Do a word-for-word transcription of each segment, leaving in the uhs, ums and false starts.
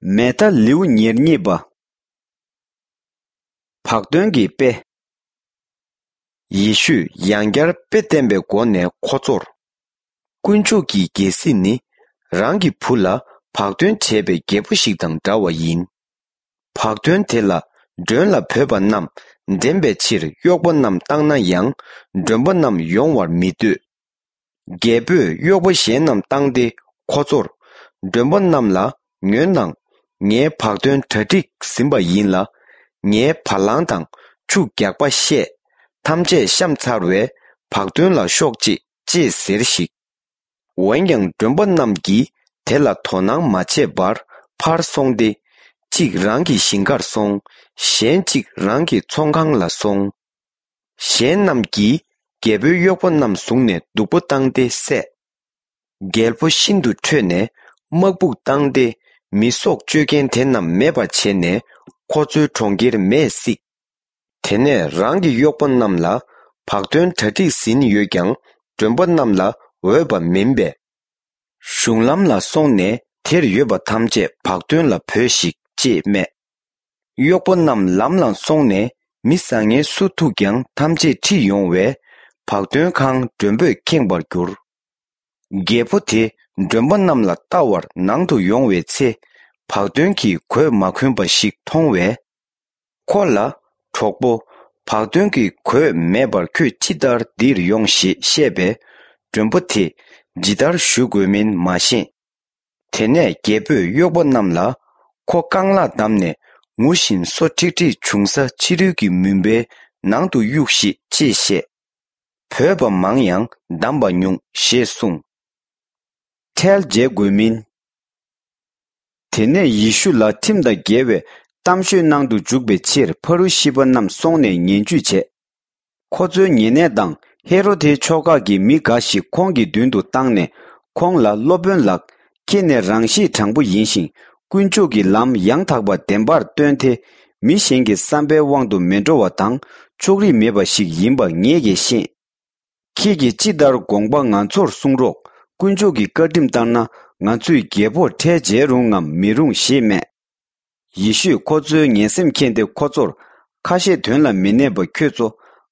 མེ་ད་ལེའུ་ཉེར་གཉིས་པ། བག་སྟོན་གྱི་དཔེ། ཡེ་ཤུས་ཡང་བསྐྱར་དཔེ་བསྟན་པའི་སྒོ་ནས་ཁོ་ཚོར། དཀོན་མཆོག་གི་རྒྱལ་སྲིད་ནི་རང་གི་བུ་ལ་བག་སྟོན་བྱས་པའི་རྒྱལ་པོ་ཞིག་དང་འདྲ་བ་ཡིན། བག་སྟོན་དེ་ལ་མགྲོན་ལ་བོས་པ་རྣམས་འདྲེན་པའི་ཕྱིར་གཡོག་པོ་རྣམས་བཏང་ན་ཡང་མགྲོན་པོ་རྣམས་ཡོང་བར་མི་འདོད། རྒྱལ་པོས་གཡོག་པོ་གཞན་རྣམས་བཏང་སྟེ་ཁོ་ཚོར། མགྲོན་པོ་རྣམས་ལ་ཉོན་དང་། ངའི་བག་སྟོན་གྲ་སྒྲིག་ཟིན་པ་ཡིན་ལ། ངའི་བ་ལང་དང་ཆུ་རྒྱགས་པ་བཤས། ཐམས་ཅད་བཤམས་ཚར་བས་བག་སྟོན་ལ་ཤོག་ཅིག་ཅེས་ཟེར་ཞིག་འོན་ཀྱང་མགྲོན་པོ་རྣམས་ཀྱིས་དེ་ལ་དོ་སྣང་མ་བྱས་པར་ཕར་སོང་སྟེ། གཅིག་རང་གི་ཞིང་ཁར་སོང་། གཞན་གཅིག་རང་གི་ཚོང་ཁང་ལ་སོང་། གཞན་རྣམས་ཀྱིས་རྒྱལ་པོའི་གཡོག་པོ་རྣམས་བཟུང་ནས་སྡུག་པོ་བཏང་སྟེ་བསད། རྒྱལ་པོ་ཤིན་ཏུ་ཁྲོས་ནས་དམག་དཔུང་བཏང་སྟེ་མི་སྲོག་གཅོད་མཁན་དེ་རྣམས་མེད་པར་བྱས་ནས་ཁོ་ཚོའི་གྲོང་ཁྱེར་མེས་བསྲེགས། དེ་ནས་རང་གི་གཡོག་པོ་རྣམས་ལ་བག་སྟོན་གྲ་སྒྲིག་ཟིན་ཡོད་ཀྱང་མགྲོན་པོ་རྣམས་ལ་འོས་པ་མིན་པས། གཞུང་ལམ་ལ་སོང་ནས་དེར་ཡོད་པ་ཐམས་ཅད་བག་སྟོན་ལ་བོས་ཤིག་ཅེས་སྨྲས། གཡོག་པོ་རྣམས་ལམ་ལ་སོང་ནས་མི་བཟང་ངན་སུ་ཐུག་ཀྱང་ཐམས་ཅད་ཁྲིད་ཡོང་བས་བག་སྟོན་ཁང་མགྲོན་པོས་ཁེངས་པར་གྱུར། རྒྱལ་པོ་དེ་མགྲོན་པོ་རྣམས་ལ་བལྟ་བར་ནང་དུ་ཡོང་བའི་ཚེ། བག་སྟོན་གྱི་གོས་མ་གོན་པ་ཞིག་མཐོང་བས། ཁོ་ལ། གྲོགས་པོ། བག་སྟོན་གྱི་གོས་མེད་པར་ཁྱོད་ཅི་ལྟར་འདིར་ཡོང་ཞེས་བཤད་པས། མགྲོན་པོ་དེས་ཇི་ལྟར་ཞུ་དགོས་མིན་མ་ཤེས། དེ་ནས་རྒྱལ་པོས་གཡོག་པོ་རྣམས་ལ། ཁོ་རྐང་ལག་བསྡམས་ནས་ངུ་བཞིན་སོ་ཁྲིག་ཁྲིག་བྱུང་ས་ཕྱི་རོལ་གྱི་མུན་པའི་ནང་དུ་གཡུགས་ཤིག་ཅེས་བཤད། བོས་པ་མང་ཡང་བསྡམས་པ་ཉུང་ཞེས་གསུངས། ཁྲལ་འཇལ་དགོས་མིན། དེ་ནས་ཡེ་ཤུ་ལ་ཁྲིམས་དང་འགལ་བའི་གཏམ་ཤོད་གནང་དུ་འཇུག་པའི་ཕྱིར་ཕ་རུ་ཤི་པ་རྣམས་སོང་ནས་ངན་ཇུས་བྱས། ཁོ་ཚོའི་ཉེ་གནས་དང་ཧེ་རོ་དེའི་ཕྱོགས་ཁག་གི་མི་འགའ་ཞིག་ཁོང་གི་མདུན་དུ་བཏང་ནས་ཁོང་ལ། སློབ་དཔོན་ལགས། ཁྱེད་ནི་རང་གཤིས་དྲང་པོ་ཡིན་ཞིང་དཀོན་མཆོག་གི་ལམ་ཡང་དག་པ་བདེན་པར་སྟོན་ཏེ། མི་གཞན་གྱི་བསམ་པའི་དབང་དུ་མི་འགྲོ་བ་དང་ཕྱོགས་རིས་མེད་པ་ཞིག་ཡིན་པ་ངེད་ཀྱིས་ཤེས། ཁྱེད་ཀྱིས་ཅི་ལྟར་དགོངས་པ་ང་ཚོར་གསུང་རོགས། དཀོན་མཆོག་གི་བཀའ་ཁྲིམས་ལྟར་ན་ང་ཚོས་རྒྱལ་པོར་ཁྲལ་འཇལ་རུང་ངམ་མི་རུང་ཞེས་སྨྲས། ཡེ་ཤུས་ཁོ་ཚོའི་ངན་སེམས་མཁྱེན་ཏེ་ཁོ་ཚོར། ཁ་བཤད་དོན་ལ་མི་གནས་པ་ཁྱོད་ཚོ་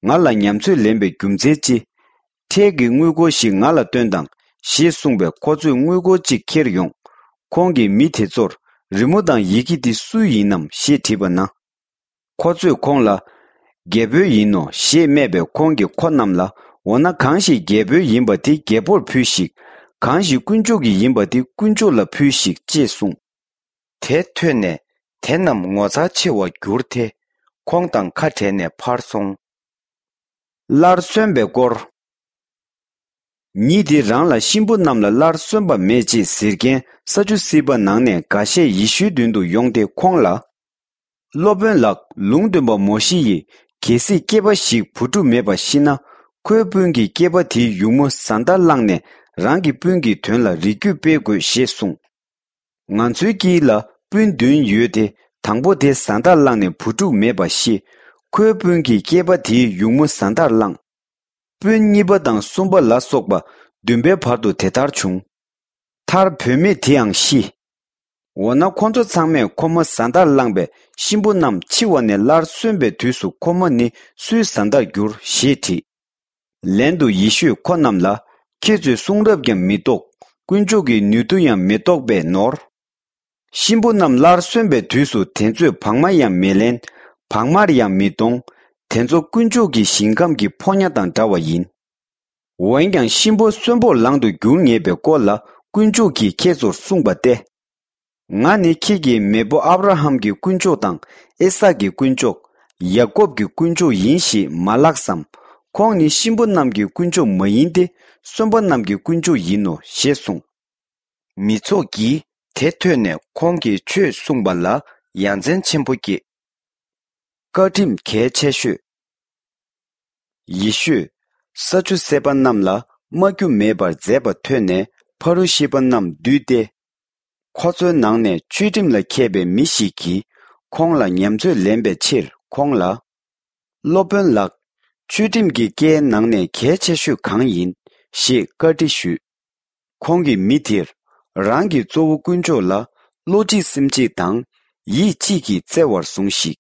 ང་ལ་ཉམས་ཚོད་ལེན་པའི་རྒྱུ་མཚན་ཅི། ཁྲལ་གྱི་དངུལ་སྒོར་ཞིག་ང་ལ་སྟོན་དང་ཞེས་གསུངས་པས་ཁོ་ཚོས་དངུལ་སྒོར་གཅིག་ཁྱེར་ཡོང་། ཁོང་གིས་མི་དེ་ཚོར། རི་མོ་དང་ཡི་གེ་འདི་སུའི་ཡིན་ནམ་ཞེས་དྲིས་པ་ན། ཁོ་ཚོས་ཁོང་ལ། རྒྱལ་པོའི་ཡིན་ནོ་ཞེས་སྨྲས་པས་ཁོང་གིས་ཁོ་རྣམས་ལ། འོ་ན་གང་ཞིག་རྒྱལ་པོའི་ཡིན་པ་དེ་རྒྱལ་པོར་ཕུལ་ཞིག་གང་ཞིག་དཀོན་མཆོག་གི་ཡིན་པ་དེ་དཀོན་མཆོག་ལ་ཕུལ་ཞིག་ཅེས་གསུངས། དེ་ཐོས་ནས་དེ་རྣམས་ངོ་མཚར་ཆེ་བར་གྱུར་ཏེ། ཁོང་དང་ཁ་བྲལ་ནས་ཕར་སོང་། སླར་གསོན་པའི་སྐོར། ཉིད་དེ་རང་ལ་གཤིན་པོ་རྣམས་ལ་སླར་གསོན་པ་མེད་ཅེས་ཟེར་མཁན་ས་ཅུ་སི་པ་ནང་ནས་འགའ་ཤས་ཡེ་ཤུའི་མདུན་དུ་ཡོང་སྟེ་ཁོང་ལ། སློབ་དཔོན་ལགས། ལུང་སྟོན་པ་མོ་ཤེ་ཡིས་གལ་སྲིད་སྐྱེས་པ་ཞིག་བུ་ཕྲུག་མེད་པ་ཤི་ན། ཁོའི་སྤུན་གྱིས་སྐྱེས་པ་དེའི་ཡུགས་མོ་བཟའ་ཟླར་བླངས་ནས་རང་གི་སྤུན་གྱི་དོན་ལ་རིགས་རྒྱུད་སྤེལ་དགོས་ཞེས་གསུངས། ང་ཚོའི་དཀྱིལ་ལ་སྤུན་བདུན་ཡོད་དེ། དང་པོ་དེ་བཟའ་ཟླར་བླངས་ནས་བུ་ཕྲུག་མེད་པར་ཤི། ཁོའི་སྤུན་གྱིས་སྐྱེས་པ་དེའི་ཡུགས་མོ་བཟའ་ཟླར་བླངས། སྤུན་གཉིས་པ་དང་གསུམ་པ་ལ་སོགས་པ་བདུན་པའི་བར་དུ་དེ་ལྟར་བྱུང་། མཐར་བུད་མེད་དེའང་ཤི། འོ་ན་ཁོ་ཚོ་ཚང་མས་ཁོ་མོ་བཟའ་ཟླར་བླངས་པས་གཤིན་པོ་རྣམས་འཆི་བ་ནས་སླར་གསོན་པའི་དུས་སུ་ཁོ་མོ་ནི་སུའི་བཟའ་ཟླར་འགྱུར་ཞེས་དྲིས། ལན་དུ་ཡེ་ཤུས་ཁོ་རྣམས་ལ། ཁྱེད་ཚོས་གསུང་རབ་ཀྱང་མི་རྟོགས། དཀོན་མཆོག་གི་ནུས་མཐུ་ཡང་མི་རྟོགས་པས་ནོར། གཤིན་པོ་རྣམས་སླར་གསོན་པའི་དུས་སུ་དེ་ཚོས་བག་མ་ཡང་མི་ལེན། བག་མར་ཡང་མི་གཏོང་། དེ་ཚོ་དཀོན་མཆོག་གི་ཞིང་ཁམས་ཀྱི་ཕོ་ཉ་དང་འདྲ་བ་ཡིན། འོན་ཀྱང་གཤིན་པོ་གསོན་པོར་ལང་དུ་འགྱུར་ངེས་པའི་སྐོར་ལ་དཀོན་མཆོག་གིས་ཁྱེད་ཚོར་གསུངས་པ་སྟེ། ང་ནི་ཁྱེད་ཀྱི་མེས་པོ་ཨབ་ར་ཧམ་གྱི་དཀོན་མཆོག་དང་ཨི་སཱག་གི་དཀོན་མཆོག་ཡ་ཀོབ་ཀྱི་དཀོན་མཆོག་ཡིན་ཞེས་མ་ལབ་སམ། ཁོང་ནི་གཤིན་པོ་རྣམས་ཀྱི་དཀོན་མཆོག་མ་ཡིན་ཏེ། གསོན་པོ་རྣམས་ཀྱི་དཀོན་མཆོག་ཡིན་ནོ་ཞེས་གསུངས། མི་ཚོགས་ཀྱིས་དེ་ཐོས་ནས་ཁོང་གིས་ཆོས་གསུངས་པ་ལ་ཡ་མཚན་ཆེན་པོ་སྐྱེས། བཀའ་ཁྲིམས་གལ་ཆེ་ཤོས། ཡེ་ཤུས་ས་ཅུ་སེ་པ་རྣམས་ལ་སྨྲ་རྒྱུ་མེད་པར་མཛད་པ་ཐོས་ནས་ཕ་རུ་ཤི་པ་རྣམས་འདུས་ཏེ། ཁོ་ཚོའི་ནང་ནས་ཆོས་ཁྲིམས་ལ་མཁས་པའི་མི་ཞིག་གིས་ཁོང་ལ་ཉམས་ཚོད་ལེན་པའི་ཕྱིར་ཁོང་ལ། སློབ་དཔོན་ལགས། ཆོས་ཁྲིམས་ཀྱི་བཀའི་ནང་ནས་གལ་ཆེ་ཤོས་གང་ཡིན་ཞེས་བཀའ་འདྲི་ཞུས། ཁོང་གིས་མི་དེར། རང་གི་གཙོ་བོ་དཀོན་མཆོག་ལ་ བློ་གཅིག་སེམས་གཅིག་དང་ཡིད་གཅིག་གིས་བརྩེ་བར་ཟུངས་ཤིག།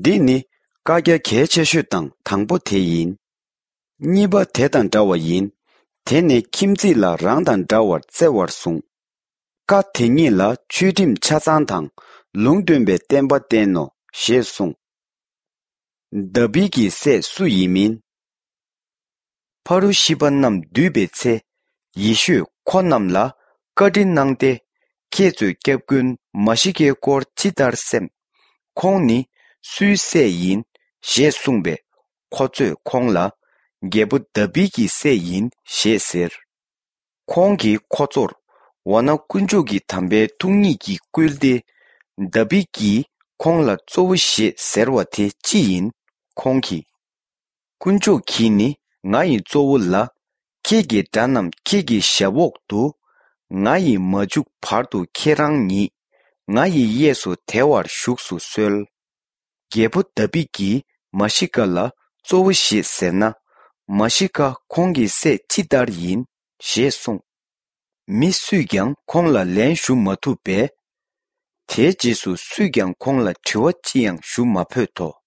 འདི་ནི་བཀའ་རྒྱ་གལ་ཆེ་ཤོས་དང་དང་པོ་དེ་ཡིན། གཉིས་པ་དེ་དང་འདྲ་བ་ཡིན། དེ་ནི་ཁྱིམ་མཚེས་ལ་རང་དང་འདྲ་བར་བརྩེ་བར་ཟུངས། བཀའ་དེ་ཉིད་ལ་ཆོས་ཁྲིམས་ཆ་ཚང་དང་ལུང་སྟོན་པའི་བསྟན་པ་བསྟན་ནོ་ཞེས་གསུངས། དཱ་བིད་ཀྱི་སྲས་སུ་ཡིན་མིན། ཕ་རུ་ཤི་པ་རྣམས་འདུས་པའི་ཚེ། ཡེ་ཤུས་ཁོ་རྣམས་ལ་བཀའ་འདྲི་གནང་སྟེ། ཁྱེད་ཚོས་སྐྱབས་མགོན་མཱ་ཤི་ཀའི་སྐོར་ཅི་ལྟར་སེམས། ཁོང་ནི་སུའི་སྲས་ཡིན་ཞེས་གསུངས་པས། ཁོ་ཚོས་ཁོང་ལ་རྒྱལ་པོ་དཱ་བིད་ཀྱི་སྲས་ཡིན་ཞེས་ཟེར། ཁོང་གིས་ཁོ་ཚོར། འོ་ན་དཀོན་མཆོག་གི་དམ་པའི་ཐུགས་ཉིད་ཀྱིས་བསྐུལ་ཏེ། དཱ་བིད་ཀྱིས་ཁོང་ལ་གཙོ་བོ་ཞེས་ཟེར་བ་དེ་ཅི་ཡིན། ཁོང་གིས། དཀོན་མཆོག་གིས་ནི་ང་ཡི་གཙོ་བོ་ལ། ཁྱེད་ཀྱི་དགྲ་རྣམས་ཁྱེད་ཀྱི་ཞབས་འོག་ཏུ། ང་ཡིས་མ་བཅུག་བར་དུ་ཁྱེད་རང་ཉིད། ང་ཡི་གཡས་སུ་དལ་བར་བཞུགས་སུ་གསོལ། རྒྱལ་པོ་དཱ་བིད་ཀྱིས་མཱ་ཤི་ཀ་ལ་གཙོ་བོ་ཞེས་ཟེར་ན། མཱ་ཤི་ཀ་ཁོང་གི་སྲས་ཅི་ལྟར་ཡིན་ཞེས་གསུངས། མི་སུས་ཀྱང་ཁོང་ལ་ལན་ཞུ་མ་ཐུབ་པས། དེའི་རྗེས་སུ་སུས་ཀྱང་ཁོང་ལ་དྲི་བ་ཅི་ཡང་ཞུ་མ་ཕོད་དོ།